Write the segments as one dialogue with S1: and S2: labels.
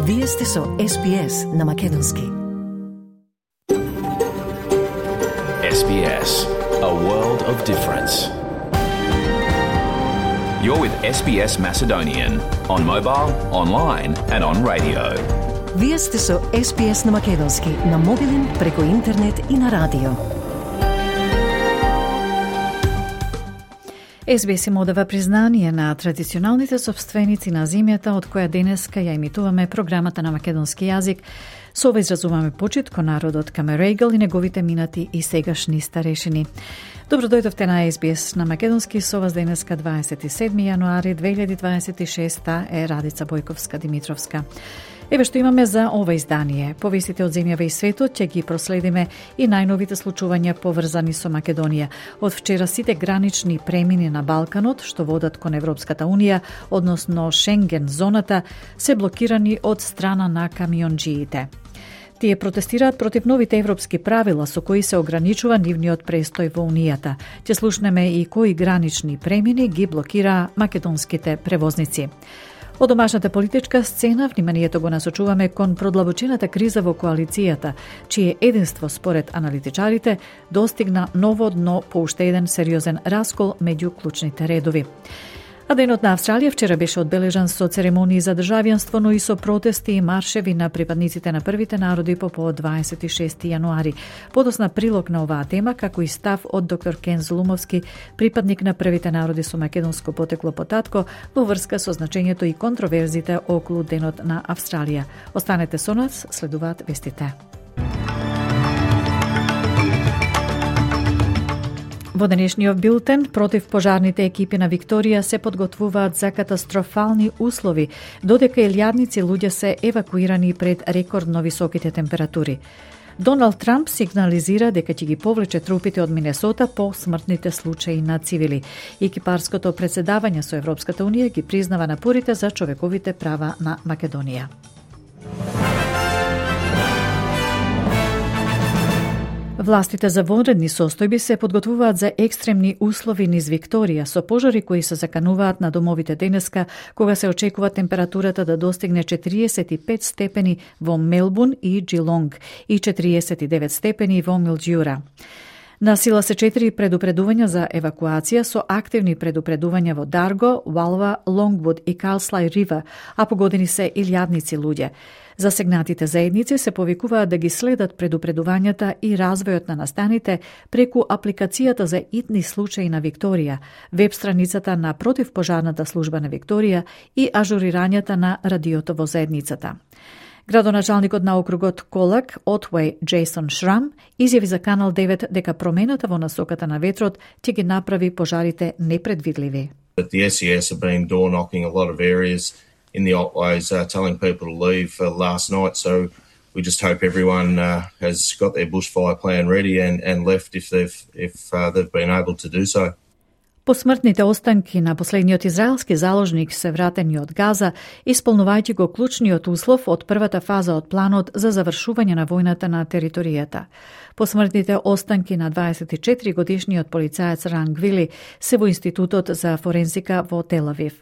S1: Вие сте со SBS на Македонски.
S2: SBS, a world of difference. You're with SBS Macedonian on mobile, online and on radio.
S1: Вие сте со SBS на Македонски на мобилен, преку интернет и на радио.
S3: SBS им одава признание на традиционалните собственици на земјата од која денеска ја емитуваме програмата на македонски јазик. Со ова изразуваме почит кон народот Камерегал и неговите минати и сегашни старешини. Добро дојдовте на SBS на македонски, со вас денеска 27 јануари 2026 е Радица Бојковска-Димитровска. Еве што имаме за ова издание. Повестите од земјава и светот ќе ги проследиме и најновите случувања поврзани со Македонија. Од вчера сите гранични премини на Балканот што водат кон Европската Унија, односно Шенген зоната, се блокирани од страна на камионџиите. Тие протестираат против новите европски правила со кои се ограничува нивниот престој во Унијата. Ќе слушнеме и кои гранични премини ги блокира македонските превозници. Од домашната политичка сцена вниманието го насочуваме кон продлабочената криза во коалицијата, чие единство според аналитичарите достигна ново дно по уште еден сериозен раскол меѓу клучните редови. А денот на Австралија вчера беше одбележан со церемонии за државјанство, но и со протести и маршеви на припадниците на првите народи по повод 26 јануари. Подосна прилог на оваа тема, како и став од доктор Кен Зулумовски, припадник на првите народи со македонско потекло по татко, во врска со значењето и контроверзите околу денот на Австралија. Останете со нас, следуваат вестите. Во денешниот билтен, против пожарните екипи на Викторија се подготвуваат за катастрофални услови, додека илјадници луѓе се евакуирани пред рекордно високите температури. Доналд Трамп сигнализира дека ќе ги повлече трупите од Минесота по смртните случаи на цивили. Екипарското председавање со Европската Унија ги признава напорите за човековите права на Македонија. Властите за вонредни состојби се подготвуваат за екстремни услови низ Викторија со пожари кои се закануваат на домовите денеска, кога се очекува температурата да достигне 45 степени во Мелбурн и Джилонг и 49 степени во Милџиура. На сила се 4 предупредувања за евакуација со активни предупредувања во Дарго, Валва, Лонгвуд и Калслај Рива, а погодени се илјадници луѓе. Засегнатите заедници се повикуваат да ги следат предупредувањата и развојот на настаните преку апликацијата за итни случаи на Викторија, веб страницата на противпожарната служба на Викторија и ажурирањата на радиото во заедницата. Градоначалникот на округот Колак, Отвеј Джейсон Шрам, изјави за Канал 9 дека промената во насоката на ветрот ќе ги направи пожарите непредвидливи.
S4: The SES have been door knocking a lot of areas in the Otways, telling people to leave last night. So we just hope everyone has got their bushfire plan ready and left if they've been able to do so.
S3: Посмртните останки на последниот израелски заложник се вратени од Газа, исполнувајќи го клучниот услов од првата фаза од планот за завршување на војната на територијата. Посмртните останки на 24 годишниот полицаец Ран Гвили се во Институтот за форензика во Тел Авив.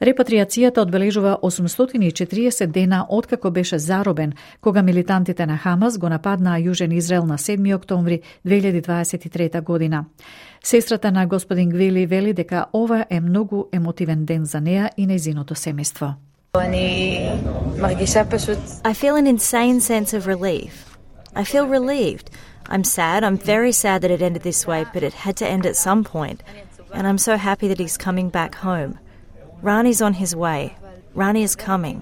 S3: Репатриацијата одбележува 840 дена откако беше заробен, кога милитантите на Хамас го нападнаа Јужен Израел на 7 октомври 2023 година. Сестрата на господин Гвили вели дека ова е многу емотивен ден за неа и нејзиното семејство.
S5: I feel an insane sense of relief. I feel relieved. I'm sad. I'm very sad that it ended this way, but it had to end at some point. And I'm so happy that he's coming back home. Rani's on his way. Rani is coming.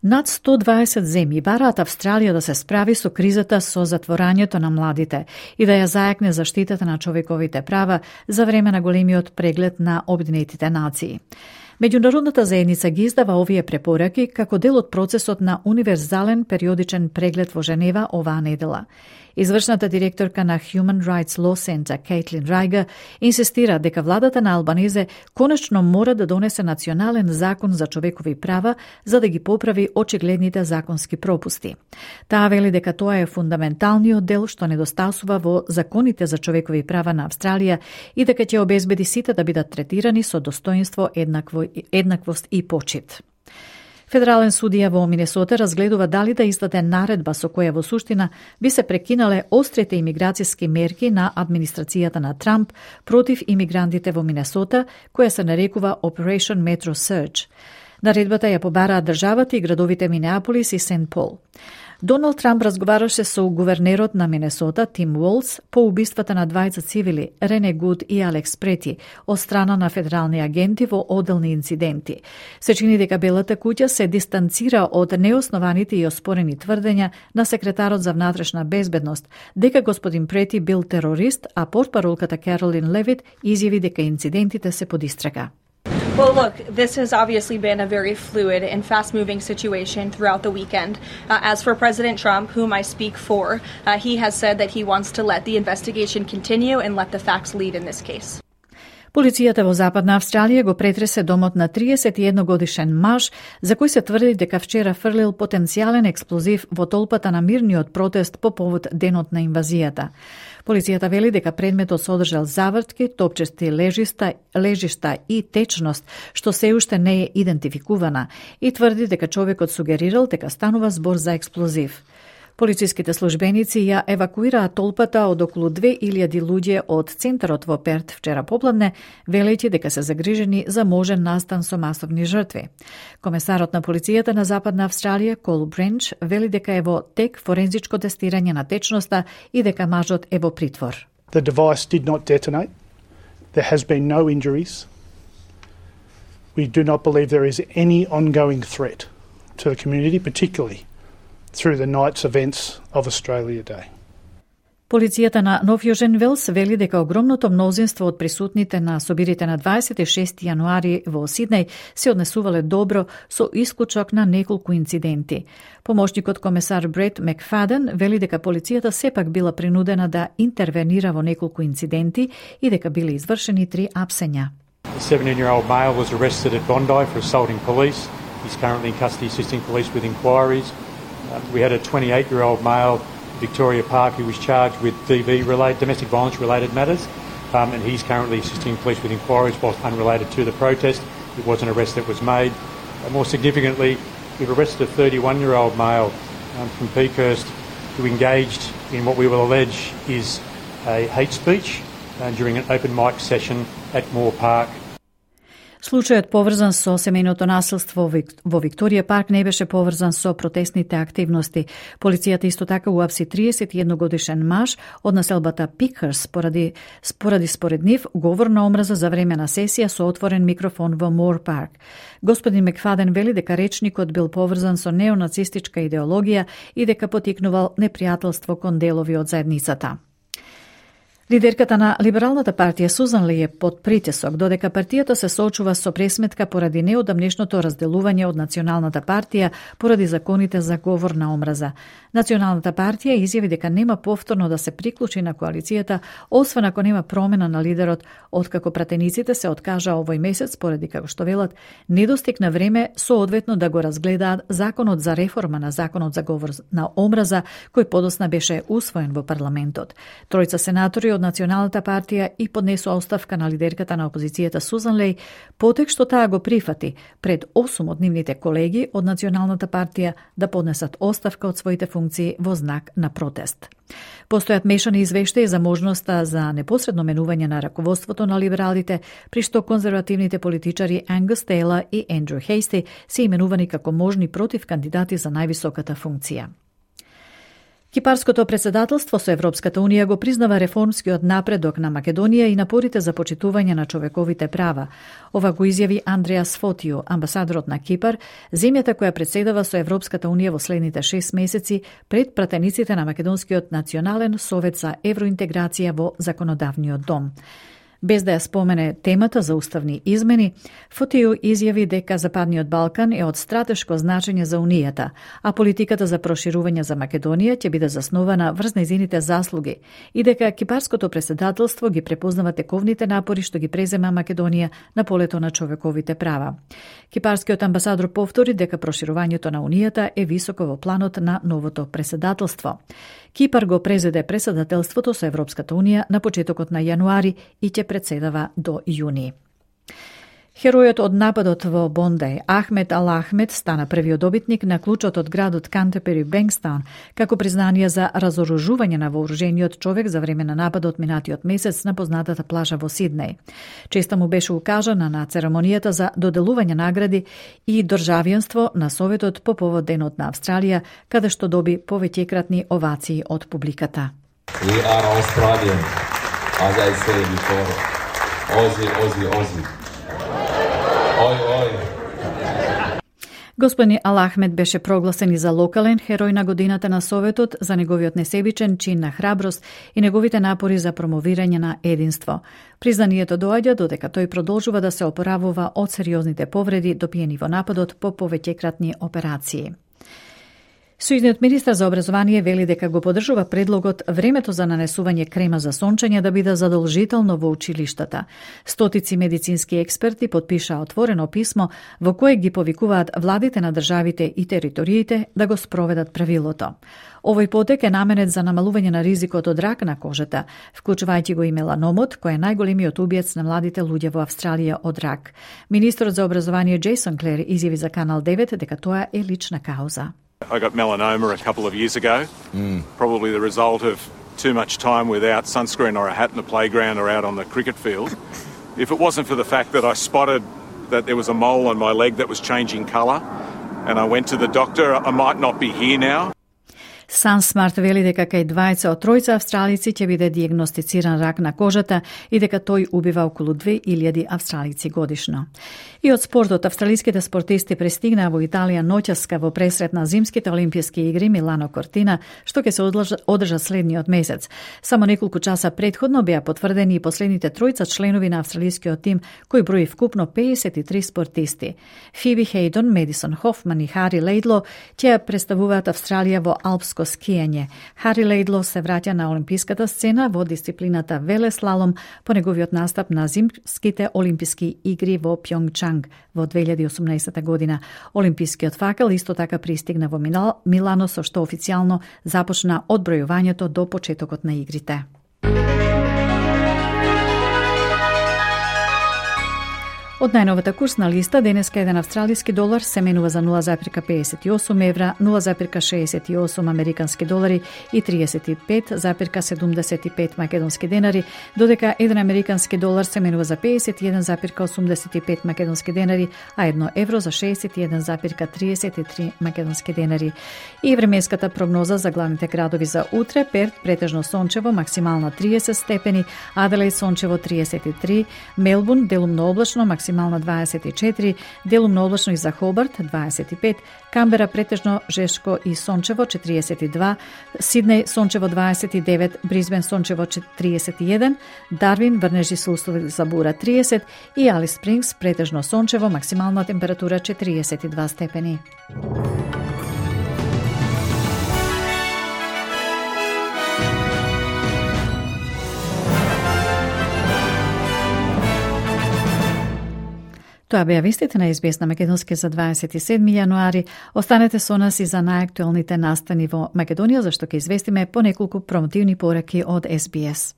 S3: Над 120 земји бараат Австралија да се справи со кризата со затворањето на младите и да ја зајакне заштитата на човековите права за време на големиот преглед на Обединетите нации. Меѓународната заедница ги издава овие препораки како дел од процесот на универзален периодичен преглед во Женева оваа недела. Извршната директорка на Human Rights Law Center, Кейтлин Райга, инсистира дека владата на Албанезе конечно мора да донесе национален закон за човекови права за да ги поправи очигледните законски пропусти. Таа вели дека тоа е фундаменталниот дел што недостасува во законите за човекови права на Австралија и дека ќе обезбеди сите да бидат третирани со достоинство, еднаквост и почит. Федерален судија во Минесота разгледува дали да издаде наредба со која во суштина би се прекинале острите имиграцијски мерки на администрацијата на Трамп против имигрантите во Минесота, која се нарекува Operation Metro Surge. Наредбата ја побараат државата и градовите Минеаполис и Сент Пол. Доналд Трамп разговараше со гувернерот на Минесота Тим Уолз по убиствата на двајца цивили, Рене Гуд и Алекс Прети, од страна на федерални агенти во одделни инциденти. Се чини дека Белата куќа се дистанцира од неоснованите и оспорени тврдења на секретарот за внатрешна безбедност, дека господин Прети бил терорист, а портпаролката Каролин Левит изјави дека инцидентите се под истрага.
S6: Well, look, this has obviously been a very fluid and fast-moving situation throughout the weekend. As for President Trump, whom I speak for, he has said that he wants to let the investigation continue and let the facts lead in this case.
S3: Полицијата во Западна Австралија го претресе домот на 31-годишен маж, за кој се тврди дека вчера фрлил потенцијален експлозив во толпата на мирниот протест по повод денот на инвазијата. Полицијата вели дека предметот содржал завртки, топчести лежишта и течност, што се уште не е идентификувана, и тврди дека човекот сугерирал дека станува збор за експлозив. Полициските службеници ја евакуираа толпата од околу 2000 луѓе од центарот во Перт вчера попладне, велејќи дека се загрижени за можен настан со масовни жртви. Комесарот на полицијата на Западна Австралија, Кол Бренч, вели дека е во тек форензичко тестирање на течноста и дека мажот е во притвор.
S7: The device did not detonate. There has been no injuries. We do not believe there is any ongoing threat to the community, particularly through the night's events of Australia Day.
S3: Полицијата на Нов Јужен Велс вели дека огромното мнозинство од присутните на собирите на 26 јануари во Сиднеј се однесувале добро со исклучок на неколку инциденти. Помошникот комесар Брет Макфаден вели дека полицијата сепак била принудена да интервенира во неколку инциденти и дека биле извршени 3 апсења.
S8: A 17-year-old male was arrested at Bondi for assaulting police. He's currently in custody assisting police with inquiries. We had a 28-year-old male, Victoria Park, who was charged with domestic violence-related matters, and he's currently assisting police with inquiries whilst unrelated to the protest. It was an arrest that was made. More significantly, we've arrested a 31-year-old male from Peakhurst who engaged in what we will allege is a hate speech during an open mic session at Moore Park.
S3: Случајот поврзан со семејното насилство во Викторија Парк не беше поврзан со протестните активности. Полицијата исто така уапси 31-годишен маж од населбата Пикхърс поради според нив говор на омраза за време на сесија со отворен микрофон во Мор Парк. Господин Макфаден вели дека речникот бил поврзан со неонацистичка идеологија и дека потикнувал непријателство кон делови од заедницата. Лидерката на Либералната партија Сузан Ли е под притисок, додека партијата се соочува со пресметка поради неодамнешното разделување од Националната партија поради законите за говор на омраза. Националната партија изјави дека нема повторно да се приклучи на коалицијата, освен ако нема промена на лидерот, откако пратениците се откажаа овој месец поради, како што велат, недостиг на време соодветно да го разгледаат законот за реформа на законот за говор на омраза, кој подосна беше усвоен во парламентот. Тројца сенатори од Националната партија и поднесоа оставка на лидерката на опозицијата Сузан Леј, потек што таа го прифати пред 8 од нивните колеги од Националната партија да поднесат оставка од своите функции во знак на протест. Постојат мешани извештаи за можноста за непосредно менување на раководството на либералите, при што конзервативните политичари Ангус Тейлор и Ендрю Хейсти се именувани како можни против кандидати за највисоката функција. Кипарското председателство со Европската Унија го признава реформскиот напредок на Македонија и напорите за почитување на човековите права. Ова го изјави Андреас Фотио, амбасадорот на Кипар, земјата која председава со Европската Унија во следните 6 месеци пред пратениците на Македонскиот национален совет за евроинтеграција во законодавниот дом. Без да ја спомене темата за уставни измени, Фотио изјави дека Западниот Балкан е од стратешко значење за Унијата, а политиката за проширување за Македонија ќе биде заснована врз нејзините заслуги и дека кипарското председателство ги препознава тековните напори што ги презема Македонија на полето на човековите права. Кипарскиот амбасадор повтори дека проширувањето на Унијата е високо во планот на новото председателство. Кипар го презеде председателството со Европската Унија на почетокот на јануари и ќе председава до јуни. Херојот од нападот во Бондај, Ахмед Ал Ахмед, стана првиот добитник на клучот од градот Кантепери Бенкстаун, како признание за разоружување на вооружениот човек за време на нападот минатиот месец на познатата плажа во Сиднеј. Честа му беше укажана на церемонијата за доделување награди и државјанство на Советот по повод Денот на Австралија, каде што доби повеќекратни овации од публиката.
S9: We are Australian, as I said before. Aussie. Ой.
S3: Господин Ал Ахмед беше прогласен и за локален херој на годината на Советот за неговиот несебичен чин на храброст и неговите напори за промовирање на единство. Признанието доаѓа додека тој продолжува да се опоравува од сериозните повреди добиени во нападот по повеќекратни операции. Сојузниот министар за образование вели дека го поддржува предлогот времето за нанесување крема за сончење да биде задолжително во училиштата. Стотици медицински експерти потпишаа отворено писмо во кое ги повикуваат владите на државите и териториите да го спроведат правилото. Овој потек е наменет за намалување на ризикот од рак на кожата, вклучувајќи го и меланомот, кој е најголемиот убиец на младите луѓе во Австралија од рак. Министерот за образование Джейсон Клер изјави за Канал 9 дека тоа е лична кауза.
S10: I got melanoma a couple of years ago, probably the result of too much time without sunscreen or a hat in the playground or out on the cricket field. If it wasn't for the fact that I spotted that there was a mole on my leg that was changing colour and I went to the doctor, I might not be here now.
S3: Сансмарт вели дека кај 2 од 3 австралици ќе биде диагностициран рак на кожата и дека тој убива околу 2000 австралици годишно. И од спортот, австралиските спортисти пристигнаа во Италија ноќаска во пресрет на зимските олимписки игри Милано Кортина, што ќе се одржа следниот месец. Само неколку часа претходно беа потврдени и последните 3 членови на австралискиот тим, кој брои вкупно 53 спортисти. Фиби Хейдон, Медисон Хофман и Хари Лейдло ќе представуваат Австралија во алпско скијање. Хари Лейдло се враќа на олимписката сцена во дисциплината велеслалом по неговиот настап на зимските олимписки игри во Пјонгчанг во 2018 година. Олимпискиот факел исто така пристигна во Милано, со што официјално започна одбројувањето до почетокот на игрите. Од најновата курсна листа, денеска еден австралиски долар се менува за 0,58 евра, 0,68 американски долари и 35,75 македонски денари, додека еден американски долар се менува за 51,85 македонски денари, а 1 евро за 61,33 македонски денари. И временската прогноза за главните градови за утре: Перт претежно сончево, максимална 30 степени, Аделаид сончево 33, Мелбурн делумно облачно, максимална 24, делумно облачно и за Хобарт 25, Камбера претежно жешко и сончево 42, Сиднеј сончево 29, Брисбен сончево 31, Дарвин врнежи со услови за бура 30 и Алис Спрингс претежно сончево, максимална температура 42 степени. Тоа беа вестите на СБС на Македонски за 27 јануари. Останете со нас и за најактуелните настани во Македонија, зашто ќе известиме по неколку промотивни пораки од СБС.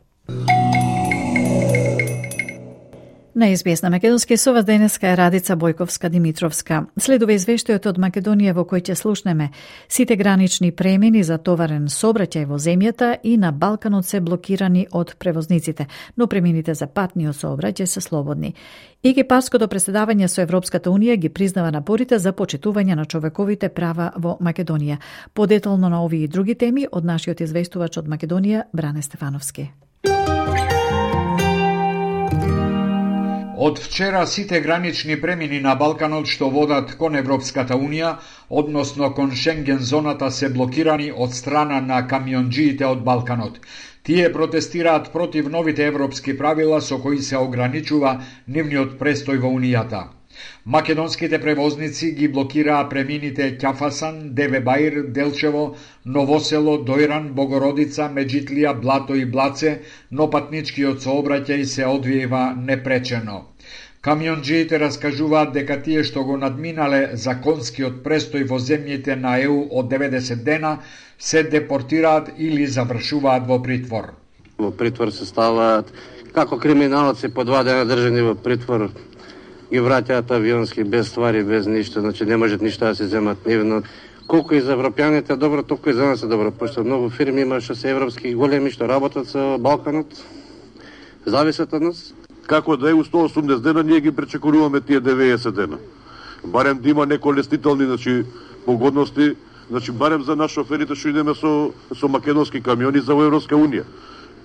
S3: На СБС на Македонски со вас денеска е Радица Бојковска-Димитровска. Следува извештајот од Македонија во кој ќе слушнеме: сите гранични премини за товарен сообраќај во земјата и на Балканот се блокирани од превозниците, но премините за патниот сообраќај се слободни. Египатското преседавање со Европската Унија ги признава напорите за почитување на човековите права во Македонија. Подетално на овие и други теми од нашиот известувач од Македонија Бране Стефановски.
S11: Од вчера сите гранични премини на Балканот што водат кон Европската Унија, односно кон Шенген зоната, се блокирани од страна на камионџиите од Балканот. Тие протестираат против новите европски правила со кои се ограничува нивниот престој во Унијата. Македонските превозници ги блокираа премините Ќафасан, Девебаир, Делчево, Новосело, Дојран, Богородица, Меджитлија, Блато и Блаце, но патничкиот сообраќај се одвиева непречено. Камионџиите раскажуваат дека тие што го надминале законскиот престој во земјите на ЕУ од 90 дена се депортираат или завршуваат во притвор.
S12: Во притвор се ставаат како криминалци по 2 дена држани во притвор. ги враќаат авионски без ствари, без ништо, значи не можат ништо да се земат нивно. Колку и за европјаните добро, толку и за нас е добро, пошто многу фирми има што се европски големи што работат со Балканот, зависат од нас.
S13: Како да е у 180 дена, ние ги пречекоруваме тие 90 дена. Барем да има некои лестителни, значи, погодности, значи барем за нас шоферите што идеме со македонски камиони за Европска унија.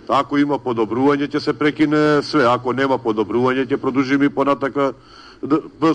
S13: Ако има подобрување, ќе се прекине све. Ако нема подобрување, ќе продолжиме и понатака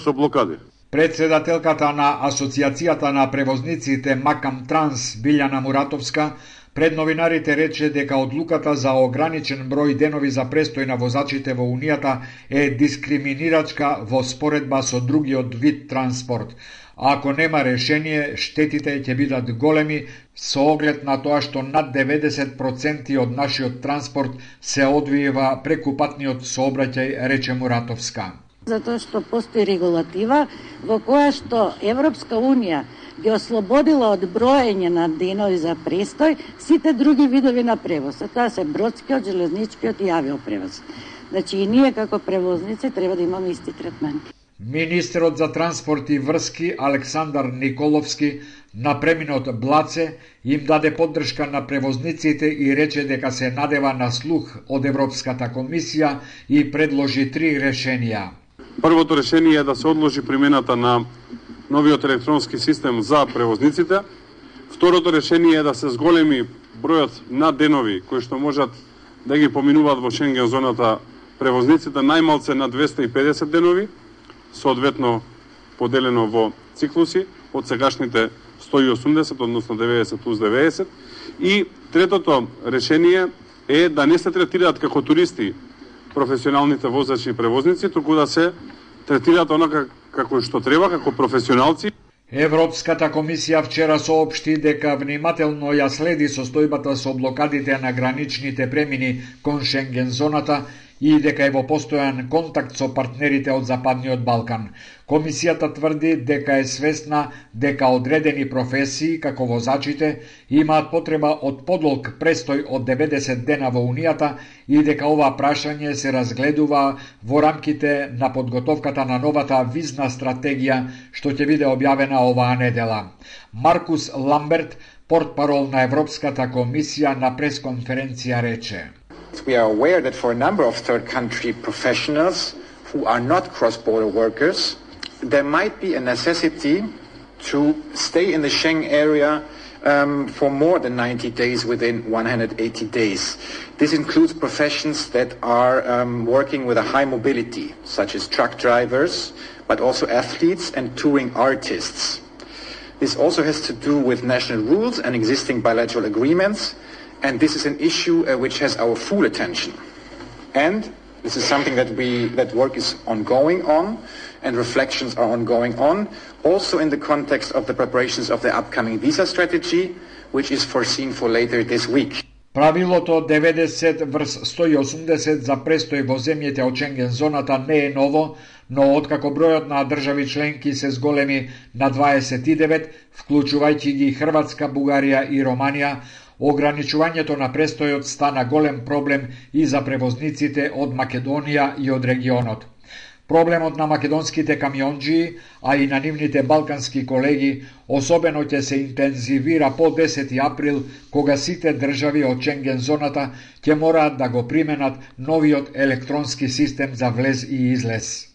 S13: со блокади.
S11: Председателката на Асоциацијата на превозниците Макам Транс, Билјана Муратовска, пред новинарите рече дека одлуката за ограничен број денови за престој на возачите во Унијата е дискриминирачка во споредба со другиот вид транспорт. Ако нема решение, штетите ќе бидат големи со оглед на тоа што над 90% од нашиот транспорт се одвива преку патниот сообраќај, рече Муратовска.
S14: Затоа што постои регулатива во која што Европска Унија ги ослободила од броење на денови за престој сите други видови на превоз. Тоа се бродскиот, железничкиот и авиопревоз. Значи и ние како превозници треба да имаме исти третман.
S11: Министерот за транспорт и врски Александар Николовски на преминот Блаце им даде поддршка на превозниците и рече дека се надева на слух од Европската комисија и предложи 3 решенија.
S15: Првото решение е да се одложи примената на новиот електронски систем за превозниците. Второто решение е да се зголеми бројот на денови кои што можат да ги поминуваат во Шенген зоната превозниците најмалце на 250 денови, соодветно поделено во циклуси од сегашните 180, односно 90 плюс 90. И третото решение е да не се третираат како туристи професионалните возачи и превозници, туку да се третираат онака како што треба, како професионалци.
S11: Европската комисија вчера соопшти дека внимателно ја следи состојбата со блокадите на граничните премини кон Шенген зоната и дека е во постојан контакт со партнерите од Западниот Балкан. Комисијата тврди дека е свесна дека одредени професии, како возачите, имаат потреба од подолг престој од 90 дена во Унијата и дека ова прашање се разгледува во рамките на подготовката на новата визна стратегија што ќе биде објавена оваа недела. Маркус Ламберт, портпарол на Европската комисија, на пресконференција рече:
S16: We are aware that for a number of third country professionals who are not cross-border workers, there might be a necessity to stay in the Schengen area for more than 90 days within 180 days. This includes professions that are working with a high mobility, such as truck drivers, but also athletes and touring artists. This also has to do with national rules and existing bilateral agreements, and this is an issue which has our full attention. And this is something that work is ongoing on, and reflections are ongoing on, also in the context of the preparations of the upcoming visa strategy, which is foreseen for later this week.
S11: Правилото 90/180 за престој во земјите од Шенген зоната не е ново, но откако бројот на држави членки се зголеми на 29, вклучувајќи ги Хрватска, Бугарија и Романија, ограничувањето на престојот стана голем проблем и за превозниците од Македонија и од регионот. Проблемот на македонските камионџии, а и на нивните балкански колеги, особено ќе се интензивира по 10 април, кога сите држави од Шенген зоната ќе мораат да го применат новиот електронски систем за влез и излез.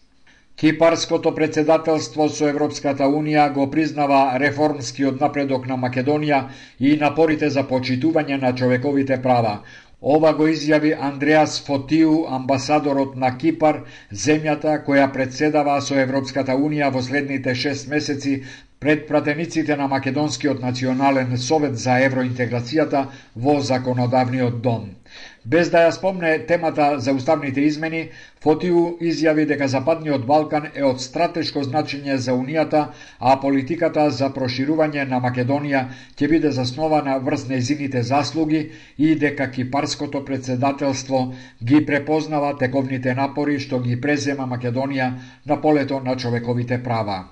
S11: Кипарското председателство со Европската Унија го признава реформскиот напредок на Македонија и напорите за почитување на човековите права. Ова го изјави Андреас Фотиу, амбасадорот на Кипар, земјата која председава со Европската Унија во следните 6 месеци пред пратениците на Македонскиот национален совет за евроинтеграцијата во законодавниот дом. Без да ја спомне темата за уставните измени, Фотиу изјави дека Западниот Балкан е од стратешко значење за Унијата, а политиката за проширување на Македонија ќе биде заснована врз нејзините заслуги и дека кипарското председателство ги препознава тековните напори што ги презема Македонија на полето на човековите права.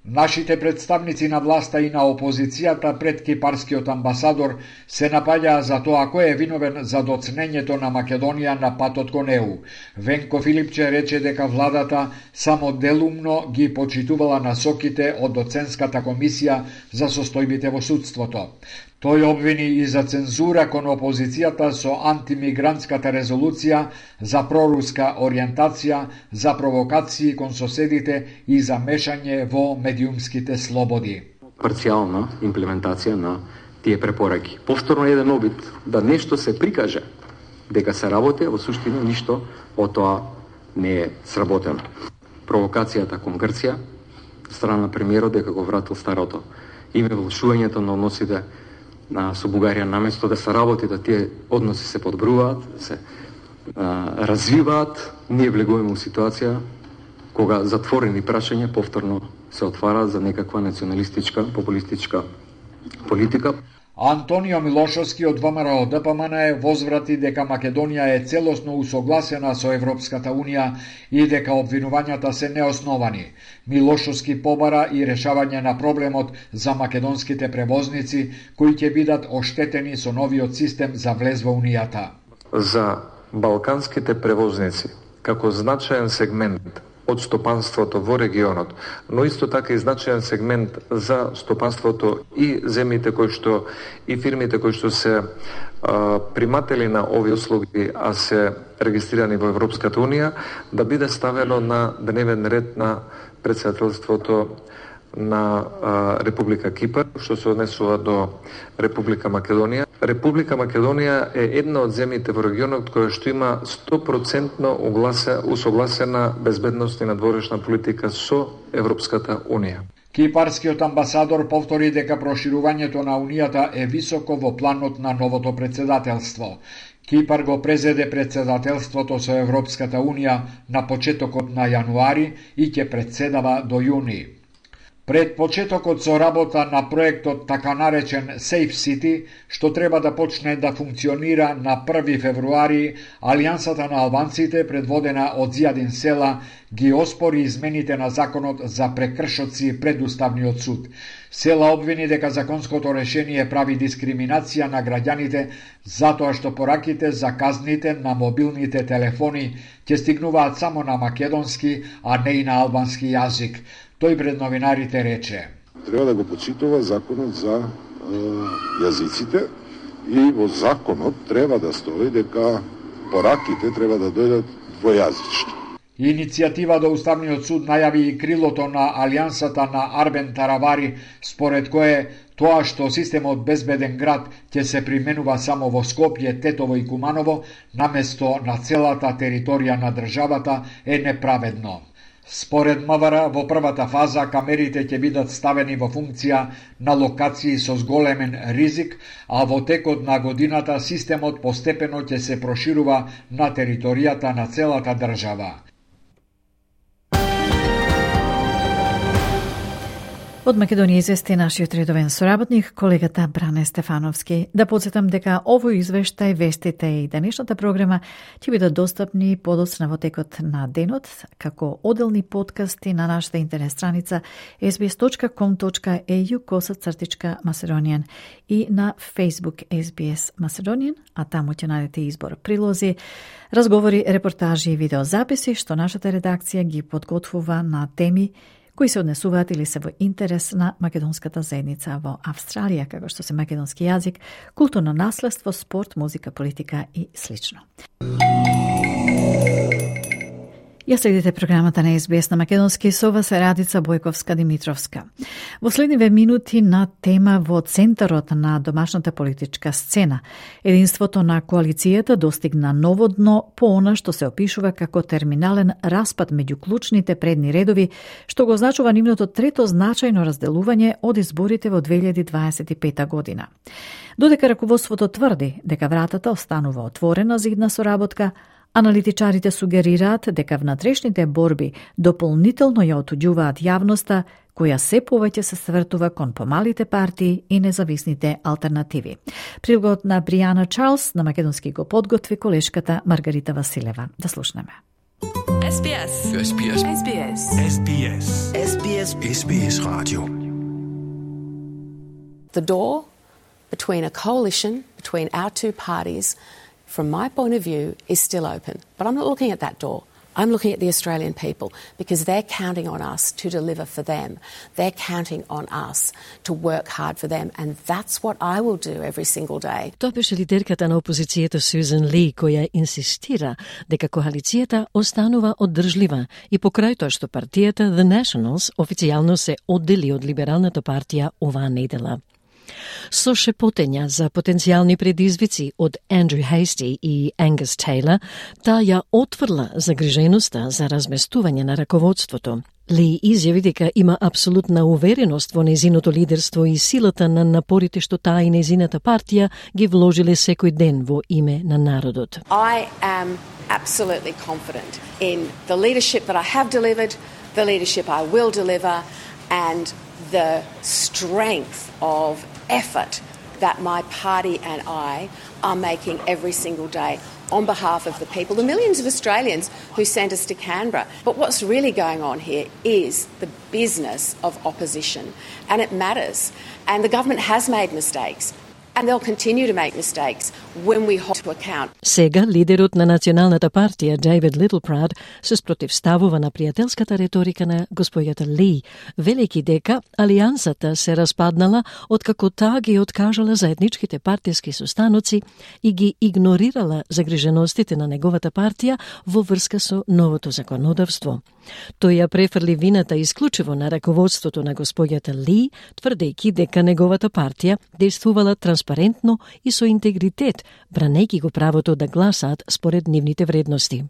S11: Нашите представници на власта и на опозицијата пред кипарскиот амбасадор се напаѓаа за тоа кој е виновен за доцнењето на Македонија на патот кон ЕУ. Венко Филипче рече дека владата само делумно ги почитувала насоките од доценската комисија за состојбите во судството. Тој обвини и за цензура кон опозицијата со антимигрантската резолуција, за проруска ориентација, за провокации кон соседите и за мешање во медиумските слободи.
S17: Парцијална имплементација на тие препораки. Повторно еден обид да нешто се прикаже дека се работи, во суштина ништо од тоа не е сработено. Провокацијата кон Грција, страна премиерот дека го вратил старото име, влошувањето на односите со Бугарија, наместо да се работи, да тие односи се подбруваат, се развиваат, ние влегуваме во ситуација кога затворени прашања повторно се отвараат за некаква националистичка, популистичка политика.
S11: Антонио Милошовски од ВМРО ДПМН возврати дека Македонија е целосно усогласена со Европската Унија и дека обвинувањата се неосновани. Милошовски побара и решавање на проблемот за македонските превозници кои ќе бидат оштетени со новиот систем за влез во Унијата.
S18: За балканските превозници, како значаен сегмент од стопанството во регионот, но исто така и значаен сегмент за стопанството и земјите кои што и фирмите кои што се приматели на овие услуги, а се регистрирани во Европската Унија, да биде ставено на дневен ред на председателството на Република Кипар, што се однесува до Република Македонија. Република Македонија е една од земјите во регионот која што има 100% усогласена безбедност и надворешна политика со Европската Унија.
S11: Кипарскиот амбасадор повтори дека проширувањето на Унијата е високо во планот на новото председателство. Кипар го презеде председателството со Европската Унија на почетокот на јануари и ќе председава до јуни. Пред почетокот со работа на проектот така наречен Safe City, што треба да почне да функционира на 1 февруари, Алијансата на албанците, предводена од Зијадин Села, ги оспори измените на законот за прекршоци пред Уставниот суд. Села обвини дека законското решение прави дискриминација на граѓаните затоа што пораките за казните на мобилните телефони ќе стигнуваат само на македонски, а не и на албански јазик. Тој пред новинарите рече:
S19: треба да го почитува законот за јазиците и во законот треба да стои дека пораките треба да дојдат двојазични.
S11: Иницијатива до Уставниот суд најави и крилото на Алијансата на Арбен Таравари, според кое тоа што системот безбеден град ќе се применува само во Скопје, Тетово и Куманово, наместо на целата територија на државата, е неправедно. Според МВР, во првата фаза камерите ќе бидат ставени во функција на локации со зголемен ризик, а во текот на годината системот постепено ќе се проширува на територијата на целата држава.
S3: Од Македонија извести нашиот редовен соработник, колегата Бране Стефановски. Да подсетам дека овој извештај, вестите и денешната програма ќе бидат достапни подоцна во текот на денот, како оделни подкасти на нашата интернет страница sbs.com.au/Macedonian и на Facebook SBS Macedonian, а таму ќе најдете избор прилози, разговори, репортажи и видеозаписи што нашата редакција ги подготвува на теми кои се однесуваат или се во интерес на македонската заедница во Австралија, како што се македонски јазик, културно наследство, спорт, музика, политика и слично. Ја следите програмата на SBS на македонски, со вас е Радица Бојковска-Димитровска. Во следниве минути на тема во центарот на домашната политичка сцена. Единството на коалицијата достигна ново дно по она што се опишува како терминален распад меѓу клучните предни редови, што го означува нивното трето значајно разделување од изборите во 2025 година. Додека раководството тврди дека вратата останува отворена за идна соработка, аналитичарите сугерираат дека внатрешните борби дополнително ја отуѓуваат јавноста, која се повеќе се свртува кон помалите партии и независните алтернативи. Прилогот на Бријана Чарлс на македонски го подготви колешката Маргарита Василева. Да слушнеме.
S20: SBS.
S21: SBS.
S20: SBS.
S21: SBS.
S20: SBS.
S21: SBS Radio.
S22: The door between a coalition, between our two parties, from my point of view, is still open. But I'm not looking at that door. I'm looking at the Australian people because they're counting on us to deliver for them. They're counting on us to work hard for them, and that's what I will do every single day.
S1: Тоа беше лидерката на опозицијата Сюзан Ли, која инсистира дека коалицијата останува оддржлива и покрај тоа што партијата The Nationals официјално се оддели од либералната партија оваа недела. Со шепотења за потенцијални предизвици од Андрю Хейсти и Ангус Тейлор, таа ја отврла загриженоста за разместување на раководството. Ли изјави дека има апсолутна увереност во незиното лидерство и силата на напорите што таа и незината партија ги вложиле секој ден во име на народот.
S22: I am absolutely confident in the leadership that I have delivered, the leadership I will deliver, and the strength of effort that my party and I are making every single day on behalf of the people, the millions of Australians who sent us to Canberra. But what's really going on here is the business of opposition, and it matters. And the government has made mistakes, and they'll continue to make mistakes when we hold to account.
S1: Сега лидерот на Националната партија Дейвид Литлпрад се спротивставува на пријателската реторика на господјата Ли, велики дека алијансата се распаднала откако таа ги откажала заедничките партиски состаноци и ги игнорирала загриженостите на неговата партија во врска со новото законодавство. Тој ја префрли вината исклучиво на раководството на господјата Ли, тврдејќи дека неговата партија действувала транспарентно и со интегритет, бранејќи го правото да гласаат според нивните вредности.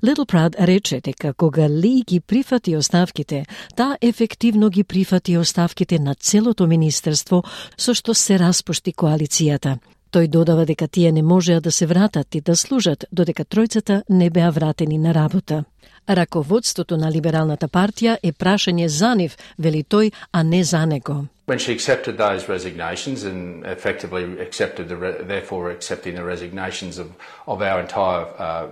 S1: Литлпрад рече дека кога Ли ги прифати оставките, таа ефективно ги прифати оставките на целото министерство со што се распушти коалицијата. Тој додава дека тие не можеа да се вратат и да служат додека тројцата не беа вратени на работа. Раководството на либералната партија е прашање за нив, вели тој, а не за него.
S23: When she accepted those resignations and effectively therefore accepting the resignations of our entire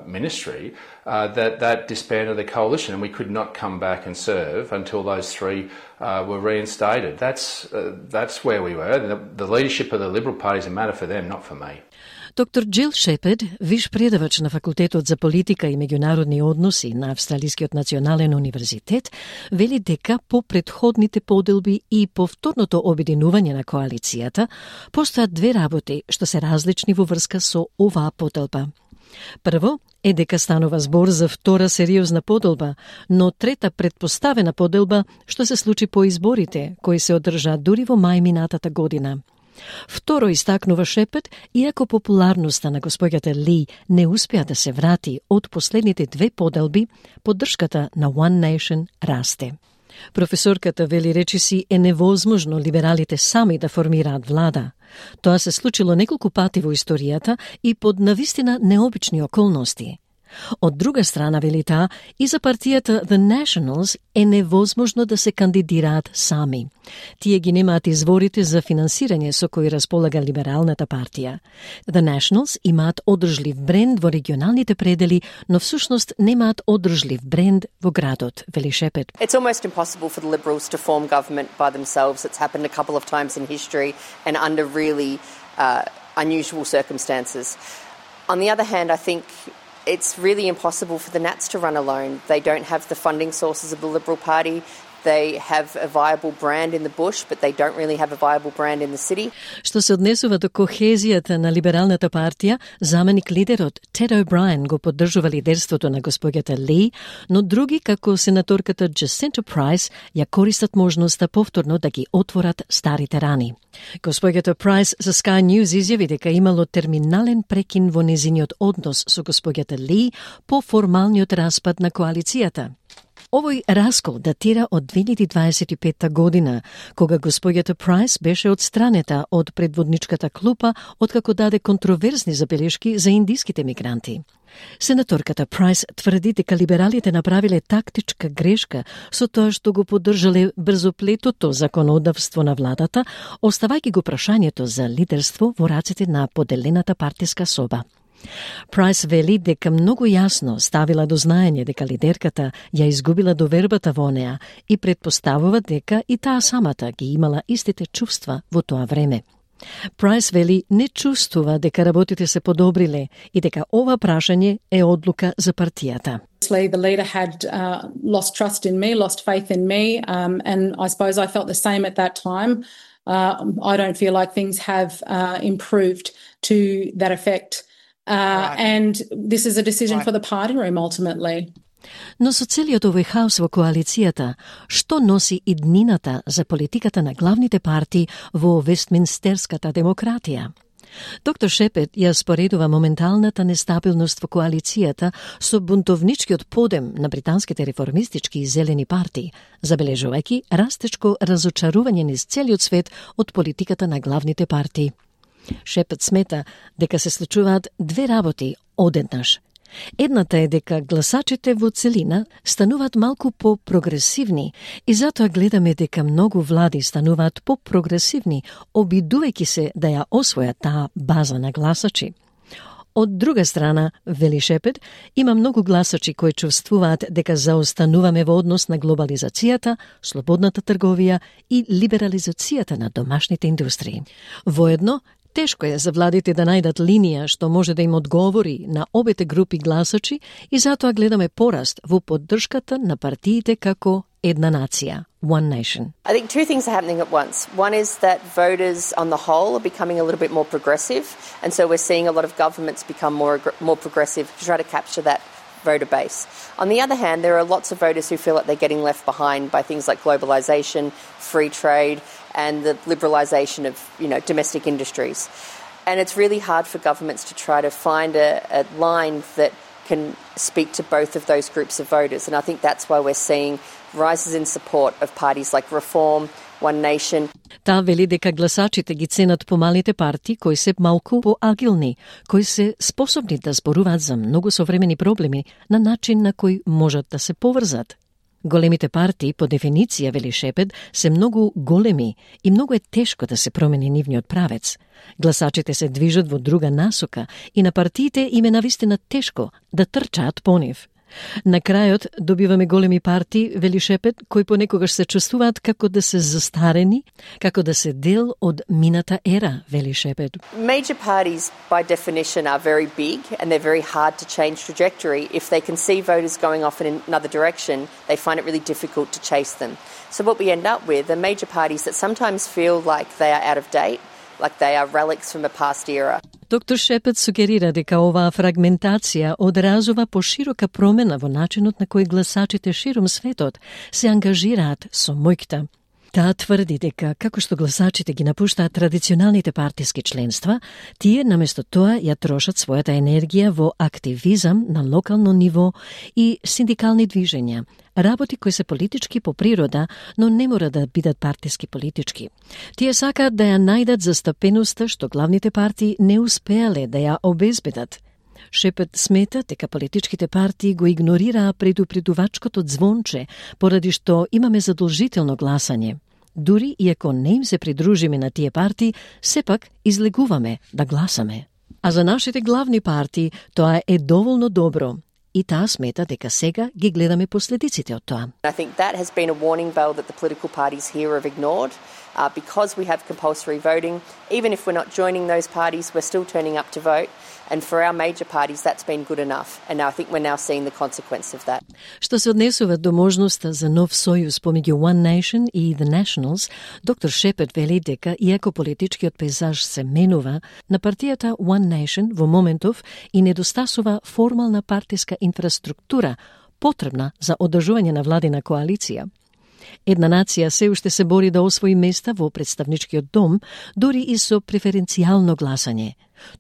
S23: ministry, that disbanded the coalition, and we could not come back and serve until those three were reinstated. That's where we were. The leadership of the Liberal Party is a matter for them, not for me.
S1: Доктор Джил Шепед, виш предавач на Факултетот за политика и меѓународни односи на Австралискиот национален универзитет, вели дека по претходните поделби и повторното обединување на коалицијата постојат две работи што се различни во врска со оваа поделба. Прво е дека станува збор за втора сериозна поделба, но трета предпоставена поделба што се случи по изборите, кои се одржаа дури во мај минатата година. Второ истакнува Шепет, иако популарноста на господјата Ли не успеа да се врати од последните две поделби, поддршката на One Nation расте. Професорката вели речиси е невозможно либералите сами да формираат влада. Тоа се случило неколку пати во историјата и под навистина необични околности. Од друга страна, вели таа, и за партијата The Nationals е невозможно да се кандидираат сами. Тие ги немаат изворите за финансирање со кои располага либералната партија. The Nationals имаат одржлив бренд во регионалните предели, но всушност немаат одржлив бренд во градот, вели Шепет.
S24: It's almost impossible for the Liberals to form government by themselves. It's happened a couple of times in history and under really unusual circumstances. On the other hand, I think it's really impossible for the Nats to run alone. They don't have the funding sources of the Liberal Party. They have a viable brand in the bush, but they don't really have a viable brand in the city.
S1: Што се однесува до кохезијата на либералната партија, заменик лидерот Тед О'Брајен го поддржува лидерството на господјата Ли, но други, како сенаторката Джасинта Прайс, ја користат можноста повторно да ги отворат старите рани. Господјата Прайс за Sky News изјави дека имало терминален прекин во незиниот однос со господјата Ли по формалниот распад на коалицијата. Овој раскол датира од 2025 година, кога господјата Прайс беше одстранета од предводничката клупа откако даде контроверзни забелешки за индиските мигранти. Сенаторката Прайс тврди дека либералите направиле тактичка грешка со тоа што го поддржале брзоплетото законодавство на владата, оставајќи го прашањето за лидерство во рацете на поделената партиска соба. Прайс вели дека многу јасно ставила до знаење дека лидерката ја изгубила довербата во неа и предпоставува дека и таа самата ги имала истите чувства во тоа време. Прайс вели не чувствува дека работите се подобриле и дека ова прашање е одлука за партијата.
S2: The leader had lost trust in me, lost faith in me, and I suppose I felt the same at that time. I don't feel like things have improved to that effect. And this is a decision for the party room ultimately.
S1: Но со целиот овој хаос во коалицијата, што носи иднината за политиката на главните партии во Вестминстерската демократија? Доктор Шепет ја споредува моменталната нестабилност во коалицијата со бунтовничкиот подем на британските реформистички и зелени партии, забележувајќи растечко разочарување низ целиот свет од политиката на главните партии. Шепет смета дека се случуваат две работи одеднаш. Едната е дека гласачите во целина стануваат малку по-прогресивни и затоа гледаме дека многу влади стануваат по-прогресивни, обидувајќи се да ја освојат таа база на гласачи. Од друга страна, вели Шепет, има многу гласачи кои чувствуваат дека заостануваме во однос на глобализацијата, слободната трговија и либерализацијата на домашните индустрии. Воедно, тешко е за владите да најдат линија што може да им одговори на обете групи гласачи и затоа гледаме пораст во поддршката на партиите како една нација, One Nation.
S24: I think two things are happening at once. One is that voters on the whole are becoming a little bit more progressive, and so we're seeing a lot of governments become more progressive to try to capture that voter base. On the other hand, there are lots of voters who feel like they're getting left behind by things like globalisation, free trade, and the liberalisation of, domestic industries. And it's really hard for governments to try to find a line that can speak to both of those groups of voters. And I think that's why we're seeing rises in support of parties like Reform, One Nation.
S1: Таа вели дека гласачите ги ценат помалите партии кои се малку поагилни, кои се способни да зборуваат за многу современи проблеми на начин на кој можат да се поврзат. Големите партии, по дефиниција, вели Шепет, се многу големи и многу е тешко да се промени нивниот правец. Гласачите се движат во друга насока и на партиите им е навистина тешко да трчаат по нив. На крајот добиваме големи партии, вели Шепет, кои понекогаш се чувствуваат како да се застарени, како да се дел од мината ера, вели Шепет.
S24: Major parties by definition are very big and they're very hard to change trajectory. If they can see voters going off in another direction, they find it really difficult to chase them. So what we end up with are major parties that sometimes feel like they are out of date, like they are relics from a past era.
S1: Доктор Шепет сугерира дека оваа фрагментација одразува поширока промена во начинот на кој гласачите широм светот се ангажираат со мојкта. Таа тврди дека, како што гласачите ги напуштаат традиционалните партиски членства, тие наместо тоа ја трошат својата енергија во активизам на локално ниво и синдикални движења, работи кои се политички по природа, но не мора да бидат партиски политички. Тие сакаат да ја најдат застапеноста што главните партии не успеале да ја обезбедат. Шепет смета дека политичките партии го игнорираа предупредувачкото звонче, поради што имаме задолжително гласање. Дури и ако не им се придружиме на тие партии, сепак излегуваме да гласаме. А за нашите главни партии тоа е доволно добро. И таа смета дека сега ги гледаме последиците од тоа.
S24: I think that has been a warning bell that the political parties here have ignored. Because we have compulsory voting, even if we're not joining those parties, we're still turning up to vote. And for our major parties, that's been good enough. And now I think we're now seeing the consequence of that.
S1: Што се однесува до можноста за нов сојуз помеѓу One Nation и The Nationals, доктор Шепет вели дека, иако политичкиот пейзаж се менува, на партијата One Nation во моментов и недостасува формална партиска инфраструктура потребна за одржување на владина коалиција. Една нација се уште се бори да освои места во представничкиот дом, дури и со преференцијално гласање.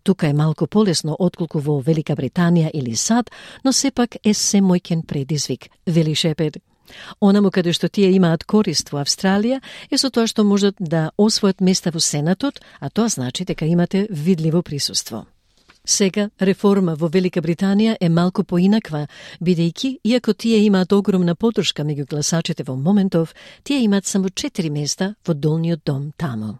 S1: Тука е малку полесно отколку во Велика Британија или САД, но сепак е се мојкен предизвик, вели Шепет. Онаму каде што тие имаат корист во Австралија е со тоа што можат да освојат места во Сенатот, а тоа значи дека имате видливо присуство. Сега, реформа во Велика Британија е малку поинаква, бидејќи, иако тие имаат огромна поддршка меѓу гласачите во моментов, тие имаат само 4 места во долниот дом таму.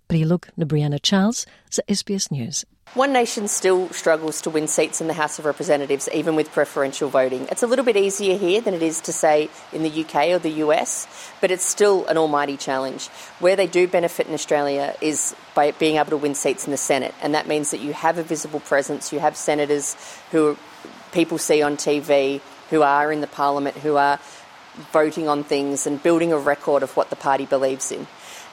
S1: Прилог на Brianna Charles за SBS News.
S24: One Nation still struggles to win seats in the House of Representatives, even with preferential voting. It's a little bit easier here than it is to, say, in the UK or the US, but it's still an almighty challenge. Where they do benefit in Australia is by being able to win seats in the Senate, and that means that you have a visible presence, you have senators who people see on TV, who are in the parliament, who are voting on things and building a record of what the party believes in.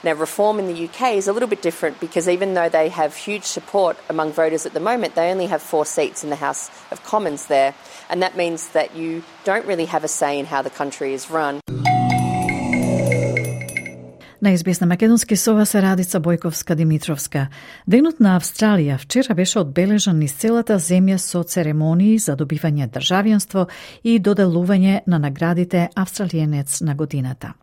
S24: Now, reform in the UK is a little bit different because even though they have huge support among voters at the moment, they only have 4 seats in the House of Commons there, and that means that you don't really have a say in how the country is run.
S3: На SBS на македонски со вас е Радица Бојковска-Димитровска. Денот на Австралија вчера беше одбележан низ целата земја со церемонии за добивање државјанство и доделување на наградите Австралиенец на годината.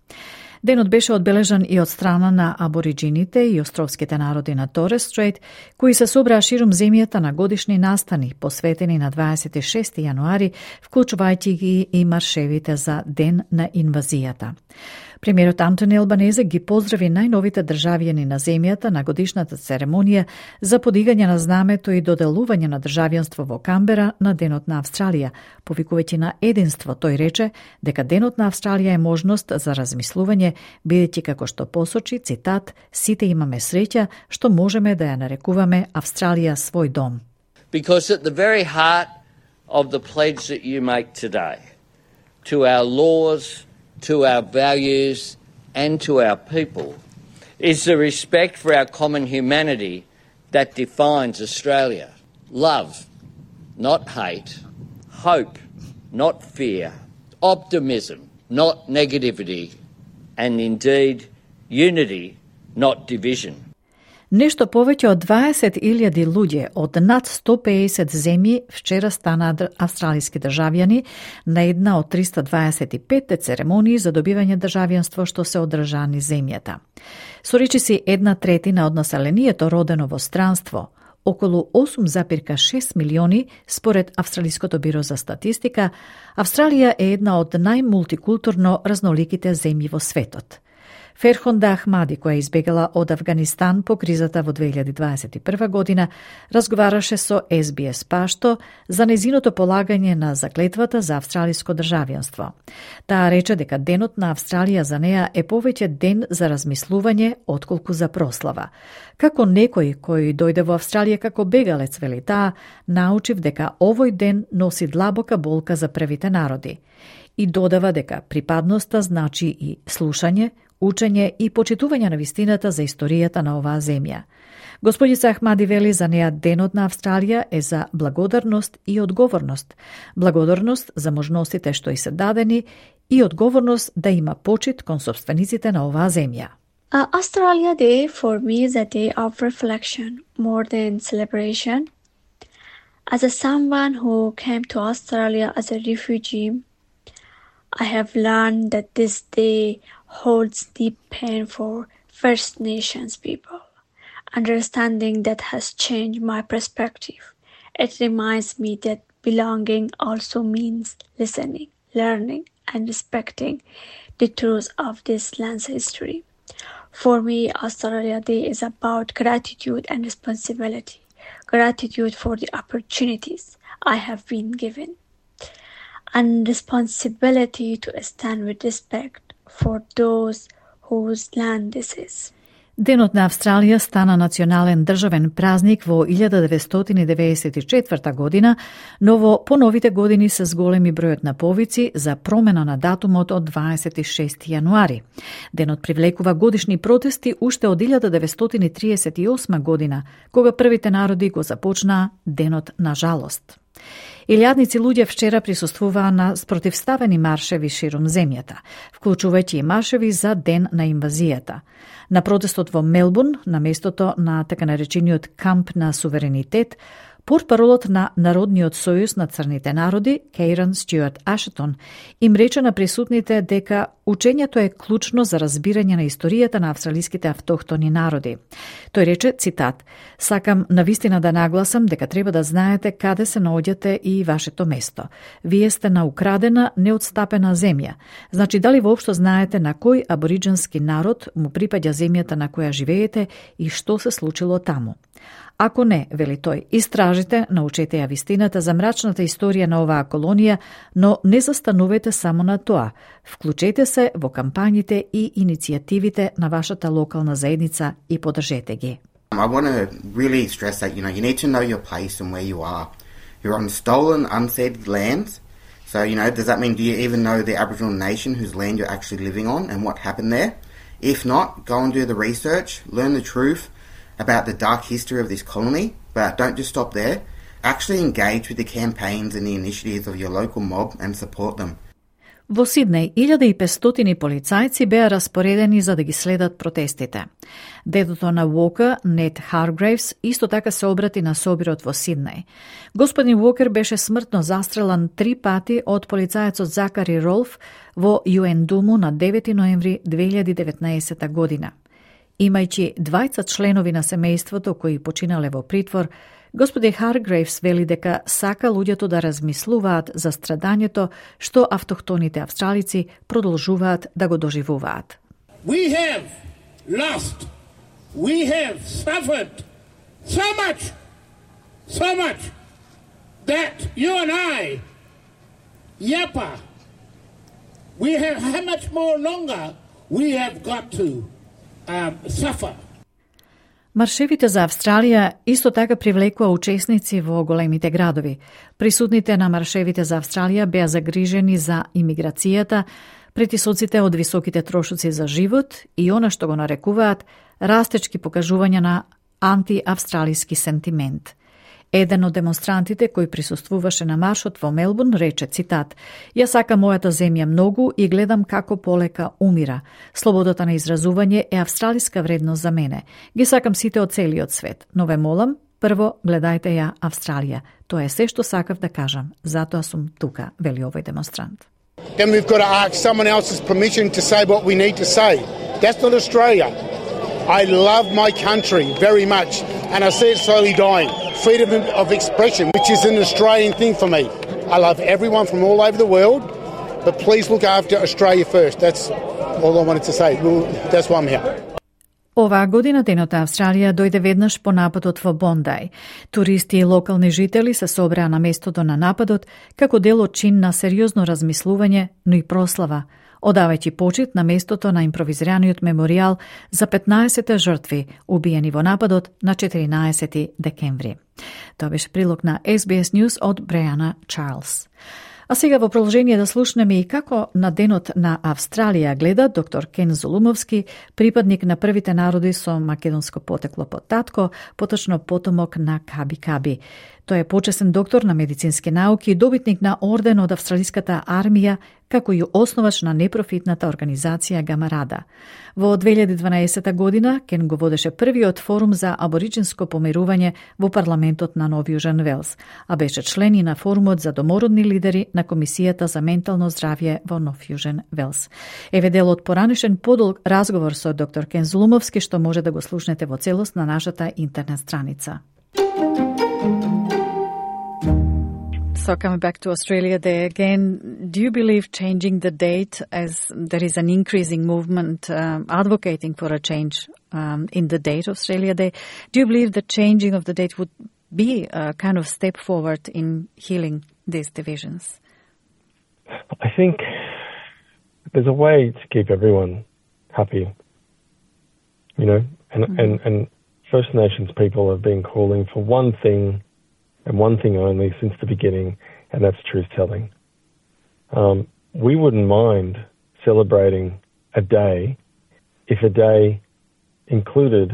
S3: Денот беше одбележан и од страна на абориджините и островските народи на Торес Стрейт, кои се собраа ширум земјата на годишни настани, посветени на 26 јануари, вклучувајќи ги и маршевите за Ден на инвазијата. Премиерот Антони Албанезе ги поздрави најновите државјани на земјата на годишната церемонија за подигање на знамето и доделување на државјанство во Камбера на Денот на Австралија, повикувајќи на единство. Тој рече дека Денот на Австралија е можност за размислување, бидејќи како што посочи, цитат, сите имаме среќа што можеме да ја нарекуваме Австралија свој дом.
S4: Because at the very heart of the pledge that you make today to our laws, to our values and to our people is the respect for our common humanity that defines Australia. Love, not hate. Hope, not fear. Optimism, not negativity. And indeed, unity, not division.
S3: Нешто повеќе од 20.000 луѓе од над 150 земји вчера станаа австралиски државјани на една од 325 церемонии за добивање државјанство што се одржаа низ земјата. Со речиси 1/3 од населението родено во странство, околу 8,6 милиони според Австралиското биро за статистика, Австралија е една од најмултикултурно разноликите земји во светот. Ферхонда Ахмади, која избегала од Афганистан по кризата во 2021 година, разговараше со SBS Пашто за незиното полагање на заклетвата за австралиско државјанство. Таа рече дека Денот на Австралија за неа е повеќе ден за размислување отколку за прослава. Како некој кој дојде во Австралија како бегалец, вели таа, научив дека овој ден носи длабока болка за првите народи. И додава дека припадноста значи и слушање, учење и почитување на вистината за историјата на оваа земја. Господица Ахмади вели за неа Денот на Австралија е за благодарност и одговорност. Благодарност за можностите што и се дадени и одговорност да има почит кон сопствениците на оваа земја.
S5: Australia Day for me is a day of reflection more than celebration. As a someone who came to Australia as a refugee, I have learned that this day holds deep pain for First Nations people. Understanding that has changed my perspective. It reminds me that belonging also means listening, learning, and respecting the truth of this land's history. For me, Australia Day is about gratitude and responsibility. Gratitude for the opportunities I have been given, and responsibility to stand with respect for those whose land this is.
S3: Денот на Австралија стана национален државен празник во 1994 година, но во поновите години се зголеми бројот на повици за промена на датумот од 26 јануари. Денот привлекува годишни протести уште од 1938 година, кога првите народи го започнаа Денот на жалост. Илјадници луѓе вчера присуствуваа на спротивставени маршеви ширум земјата, вклучувајќи и маршеви за Ден на инвазијата. На протестот во Мелбурн, на местото на така наречениот камп на суверенитет, Портпаролот на Народниот сојуз на црните народи, Кейран Стюарт Ашетон, им рече на присутните дека учењето е клучно за разбирање на историјата на австралиските автохтони народи. Тој рече, цитат, "Сакам навистина да нагласам дека треба да знаете каде се наоѓате и вашето место. Вие сте на украдена, неотстапена земја. Значи, дали воопшто знаете на кој абориджински народ му припаѓа земјата на која живеете и што се случило таму? Ако не, вели тој, истражите, научете ја вистината за мрачната историја на оваа колонија, но не застанувате само на тоа. Вклучете се во кампањите и иницијативите на вашата локална заедница и поддржете ги."
S6: I want to really stress that, you need to know your place and where you are. You're on stolen, unceded lands. So, does that mean, do you even know the Aboriginal nation whose land you're actually living on and what happened there? If not, go and do the research, learn the truth about the dark history of this colony, but don't just stop there. Actually engage with the campaigns and the initiatives of your local mob and support them.
S3: Во Сиднеј, 1500 полицајци беа распоредени за да ги следат протестите. Дедото на Уокер, Нет Харгрейвс, исто така се обрати на собирот во Сиднеј. Господин Уокер беше смртно застрелан 3 пати од полицајецот Закари Ролф во Юендуму на 9 ноември 2019 година. Имајќи 20 членови на семејството кои починале во притвор, господин Харгрейвс вели дека сака луѓето да размислуваат за страдањето што автохтоните австралици продолжуваат да го доживуваат.
S7: We have lost. We have suffered so much that you and I, Yapa, how much more longer we have got to suffer.
S3: Маршевите за Австралија исто така привлекува учесници во големите градови. Присутните на маршевите за Австралија беа загрижени за имиграцијата, притисоците од високите трошоци за живот и она што го нарекуваат растечки покажувања на антиавстралиски сентимент. Еден од демонстрантите кој присуствуваше на маршот во Мелбурн рече, цитат, "Ја сакам мојата земја многу и гледам како полека умира. Слободата на изразување е австралиска вредност за мене. Ги сакам сите од целиот свет, но ве молам, прво гледајте ја Австралија. Тоа е се што сакав да кажам. Затоа сум тука", вели овој демонстрант.
S7: Then we've got to ask someone else's permission to say what we need to say. That's not Australia. I love my country very much, and I see it slowly dying. Freedom of expression, which is an Australian thing for me. I love everyone from all over the world, but please look after Australia first. That's all I wanted to say. That's why I'm here.
S3: Оваа година Денот на Австралија дојде веднаш по нападот во Бондај. Туристи и локални жители се собраа на местото на нападот како дел од чин на сериозно размислување, но и прослава, одавајќи почит на местото на импровизираниот меморијал за 15 жртви убиени во нападот на 14 декември. Тоа беше прилог на SBS News од Бреана Чарлс. А сега во продолжение да слушнеме и како на Денот на Австралија гледа доктор Кен Зулумовски, припадник на првите народи со македонско потекло под татко, поточно потомок на Каби Каби. Тој е почесен доктор на медицински науки и добитник на орден од Австралиската армија, како и основач на непрофитната организација Гамарада. Во 2012 година Кен го водеше првиот форум за абориджинско помирување во парламентот на Нов Јужен Велс, а беше член и на форумот за домородни лидери на Комисијата за ментално здравје во Нов Јужен Велс. Еве дел од поранешен подолг разговор со доктор Кен Зулумовски што може да го слушнете во целост на нашата интернет страница. So coming back to Australia Day again, do you believe changing the date, as there is an increasing movement advocating for a change in the date of Australia Day, do you believe the changing of the date would be a kind of step forward in healing these divisions?
S8: I think there's a way to keep everyone happy, and First Nations people have been calling for one thing and one thing only since the beginning, and that's truth-telling. We wouldn't mind celebrating a day if a day included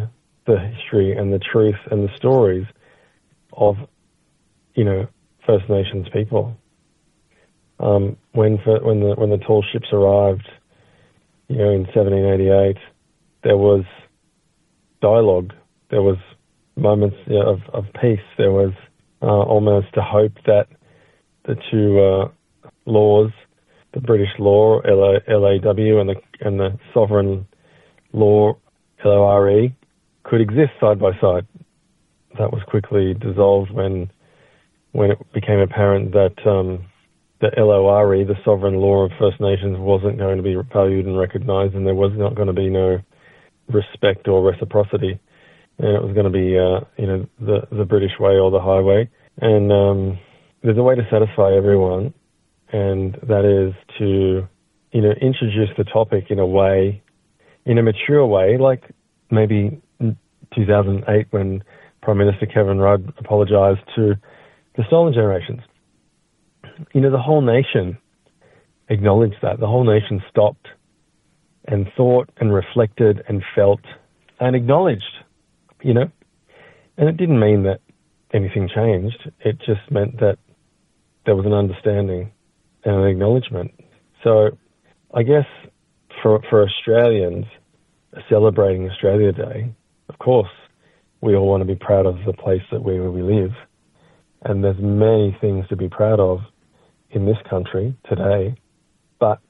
S8: the history and the truth and the stories of, First Nations people. When the tall ships arrived, in 1788, there was dialogue, there was moments of peace, there was almost to hope that the two laws, the British law, LAW, and the sovereign law, LORE, could exist side by side. That was quickly dissolved when it became apparent that the LORE, the sovereign law of First Nations, wasn't going to be valued and recognised, and there was not going to be no respect or reciprocity, and it was going to be the British way or the highway. And there's a way to satisfy everyone, and that is to introduce the topic in a way, in a mature way, like maybe in 2008 when Prime Minister Kevin Rudd apologised to the stolen generations. The whole nation acknowledged that. The whole nation stopped and thought and reflected and felt and acknowledged, And it didn't mean that anything changed. It just meant that there was an understanding and an acknowledgement. So I guess for Australians celebrating Australia Day, of course, we all want to be proud of the place where we live. And there's many things to be proud of in this country today. But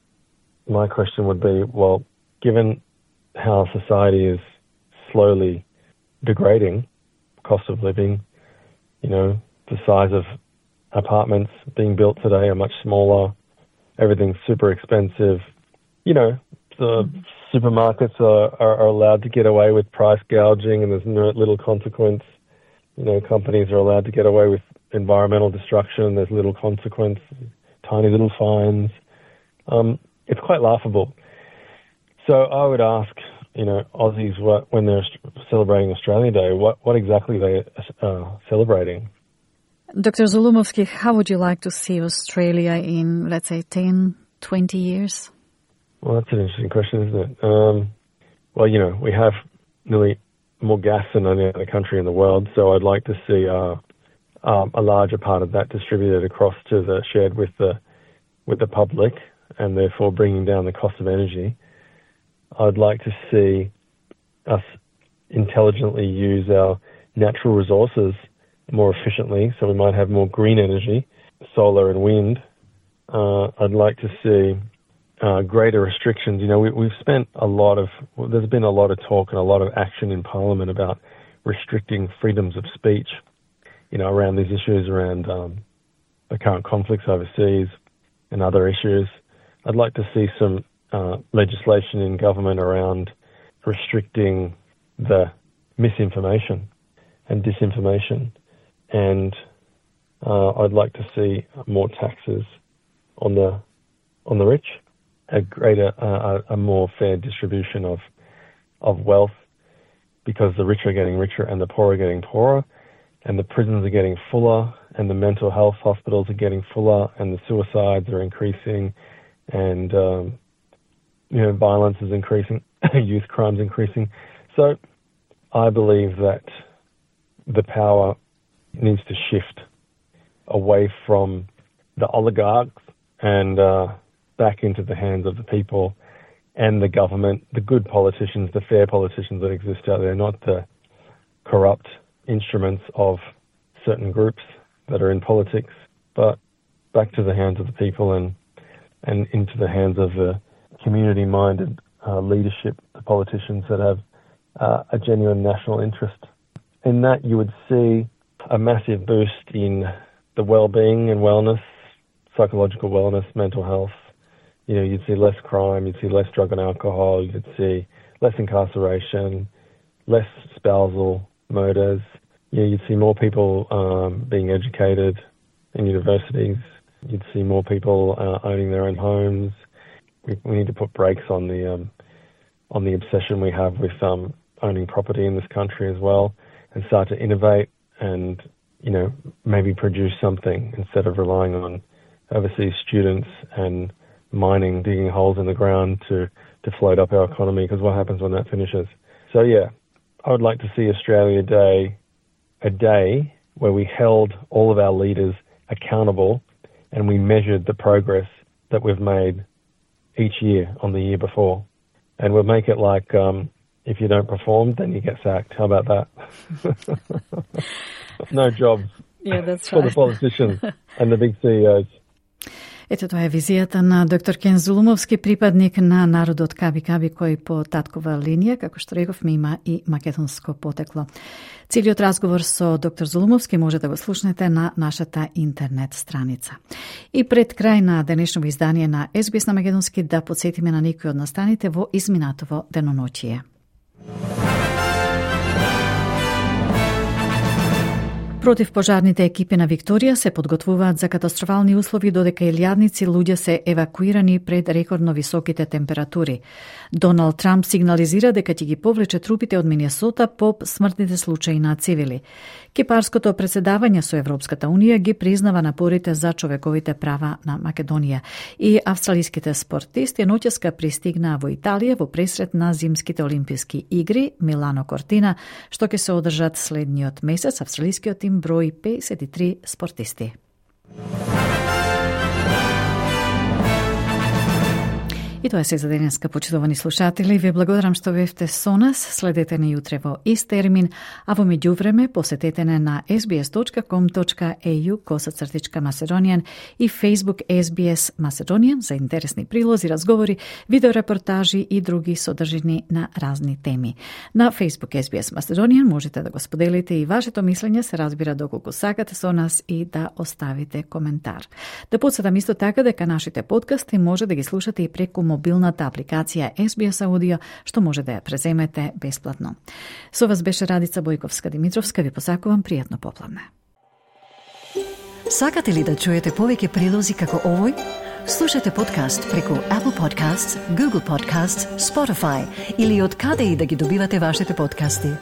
S8: my question would be, well, given how society is slowly degrading, cost of living, the size of apartments being built today are much smaller, everything's super expensive, the supermarkets are allowed to get away with price gouging and there's no little consequence. Companies are allowed to get away with environmental destruction, there's little consequence, tiny little fines. It's quite laughable. So I would ask, Aussies, when they're celebrating Australia Day, what exactly they are celebrating?
S3: Dr. Zulumovski, how would you like to see Australia in, let's say, 10, 20 years?
S8: Well, that's an interesting question, isn't it? We have nearly more gas than any other country in the world, so I'd like to see a larger part of that distributed across to shared with the public, and therefore bringing down the cost of energy. I'd like to see us intelligently use our natural resources more efficiently, so we might have more green energy, solar and wind. I'd like to see greater restrictions. We've spent there's been a lot of talk and a lot of action in Parliament about restricting freedoms of speech, around these issues, around the current conflicts overseas and other issues. I'd like to see some legislation in government around restricting the misinformation and disinformation, and I'd like to see more taxes on the rich, a more fair distribution of wealth, because the rich are getting richer and the poor are getting poorer, and the prisons are getting fuller, and the mental health hospitals are getting fuller, and the suicides are increasing, and violence is increasing, youth crimes increasing. So I believe that the power needs to shift away from the oligarchs and back into the hands of the people and the government, the good politicians, the fair politicians that exist out there, not the corrupt instruments of certain groups that are in politics, but back to the hands of the people and into the hands of the community-minded leadership, the politicians that have a genuine national interest. In that, you would see a massive boost in the well-being and wellness, psychological wellness, mental health. You'd see less crime, you'd see less drug and alcohol, you'd see less incarceration, less spousal murders. You'd see more people being educated in universities. You'd see more people owning their own homes. We need to put brakes on the obsession we have with owning property in this country as well, and start to innovate and maybe produce something instead of relying on overseas students and mining, digging holes in the ground to float up our economy, because what happens when that finishes? So yeah, I would like to see Australia Day a day where we held all of our leaders accountable and we measured the progress that we've made each year on the year before. And we'll make it like, if you don't perform, then you get sacked. How about that? No jobs.
S3: that's
S8: for
S3: right.
S8: the politicians and the big CEOs.
S3: Ето тоа е визијата на доктор Кен Зулумовски, припадник на народот Каби-Каби, кој по таткова линија, како што рековме, има и македонско потекло. Целиот разговор со доктор Зулумовски може да го слушнете на нашата интернет страница. И пред крај на денешното издание на SBS на македонски да подсетиме на некои од настаните во изминатово деноночие. Противпожарните екипи на Викторија се подготвуваат за катастрофални услови додека илјадници луѓе се евакуирани пред рекордно високите температури. Доналд Трамп сигнализира дека ќе ги повлече трупите од Минесота по смртните случаи на цивили. Кипарското председавање со Европската Унија ги признава напорите за човековите права на Македонија. И австралиските спортисти ноќеска пристигнаа во Италија во пресрет на зимските олимписки игри Милано Кортина, што ќе се одржат следниот месец. Австралискиот тим брои 53 спортисти. И тоа се за денеска, почитувани слушатели. Ви благодарам што бевте со нас. Следете не јутре во ист термин, а во меѓувреме посетете не на sbs.com.au/Macedonian и Facebook SBS Macedonian за интересни прилози, разговори, видеорепортажи и други содржини на разни теми. На Facebook SBS Macedonian можете да го споделите и вашето мислење, се разбира доколку сакате со нас, и да оставите коментар. Да подсетам исто така дека нашите подкасти може да ги слушате и преку мобилната апликација SBS Audio, што може да ја преземете бесплатно. Со вас беше Радица Бојковска-Димитровска. Ви посакувам пријатно попладне.
S1: Сакате ли да чуете повеќе прилози како овој? Слушате подкаст преку Apple Podcasts, Google Podcasts, Spotify или од каде и да ги добивате вашите подкасти.